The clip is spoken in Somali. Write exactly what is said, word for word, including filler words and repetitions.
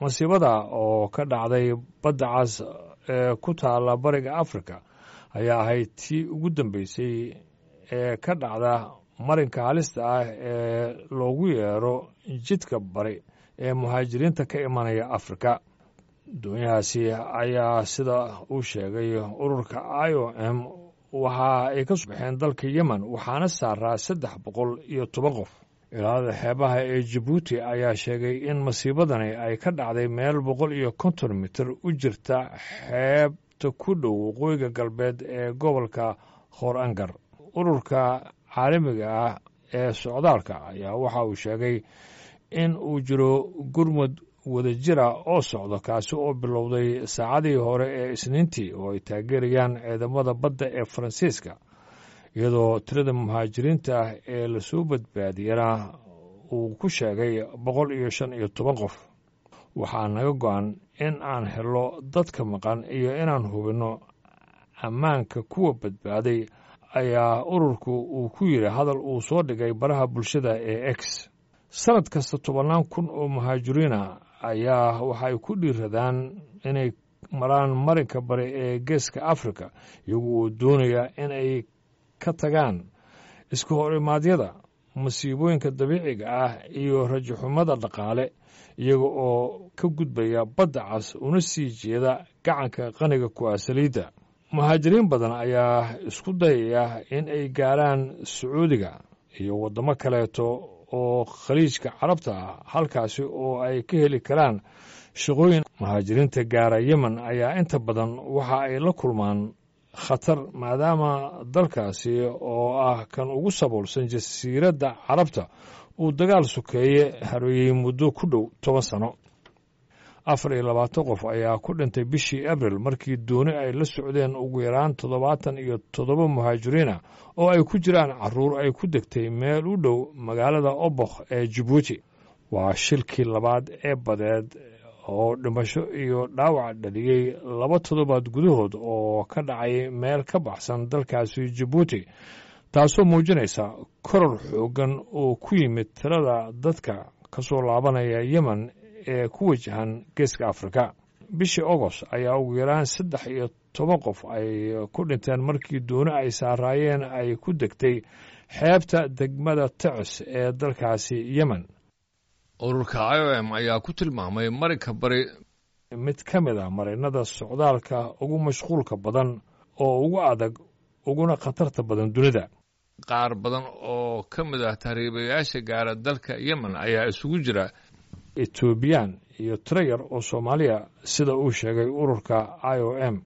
Masiibada oo ka dhacday Badda Cas ee ku taala Bariga Afrika ayaa ahayd tii ugu dambeysay ee ka dhacda marinka halista ah ee loogu yeero Jidka Bari ee muhaajiriinta ka imanaya Afrika. Doonyahaasi ayaa, sida uu sheegay ururka I O M, waxa ay ka soo baxeen dalka Yemen, waxaana saaraa saddex boqol iyo toban qof. Ilaalada xeebaha ee Jabuuti ayaa sheegay in masiibadani ay ka dhacday meel boqol iyo konton mitir u jirta xeebta ku dhow waqooyiga galbeed ee gobolka Khoor Angar. Ururka caalamiga ah ee socdaalka ayaa waxa uu sheegay in uu jiro gurmud wadajira oo socdo, kaasi oo bilowday saacadii hore ee Isniintii, oo ay taageerayaan ciidamada badda ee Faransiiska, iyadoo tirada muhaajiriinta ah ee lasoo badbaadiyana uu ku sheegay boqol iyo shan iyo toban qof. "Waxaa naga go'an in aan helo dadka maqan iyo inaan hubinno ammaanka kuwa badbaaday," ayaa ururku uu ku yidhi hadal uu soo dhigay baraha bulshada ee X. Sanad kasta tobannaan kun oo muhaajiriina ayaa waxay ku dhiiradaan inay maraan marinka bari ee Geeska Afrika, iyagu oo doonaya in ay ka tagaan iska horimaadyada, masiibooyinka dabiiciga ah iyo rajaxumada dhaqaale, iyaga oo ka gudbaya Badda Cas una sii jeeda gacanka qaniga ku ah saliidda. Muhaajiriin badan ayaa isku dayaya in ay gaaraan Sacuudiga iyo waddamo kaleeto oo Khaliijka Carabta ah, halkaasi oo ay ka heli karaan shaqooyin. Muhaajiriinta gaara Yemen ayaa inta badan waxa ay la kulmaan khatar, maadaama dalkaasi oo ah kan ugu saboolsan Jasiiradda Carabta uu dagaal sokeeye hareeyey muddo ku dhow toban sano. Afar iyo labaatan qof ayaa ku dhintay bishii Abril markii dooni ay la socdeen ugu yaraan toddobaatan iyo toddoba muhaajiriina oo ay ku jiraan carruur ay ku degtay meel u dhow magaalada Obokh ee Jabuuti. Waa shilkii labaad ee badeed oo dhimasho iyo dhaawac dhaliyey laba toddobaad gudahood oo ka dhacay meel ka baxsan dalkaasi Jabuuti, taasoo muujinaysa koror xooggan oo ku yimid tirada dadka ka soo laabanaya Yemen ee ku wajahan Geeska Afrika. Bishii Agost ayaa ugu yaraan saddex iyo toban qof ay ku dhinteen markii dooni ay saaraayeen ay ku degtay xeebta degmada Tecis ee dalkaasi Yemen. Ururka I O M ayaa ku tilmaamay marinka bari mid ka mid ah marinada socdaalka ugu mashquulka badan oo ugu adag uguna khatarta badan dunida. Qaar badan oo ka mid ah tahriibayaasha gaara dalka Yemen ayaa isugu jira Etoobiyaan iyo tiro yar oo Soomaaliya, sida uu sheegay ururka I O M.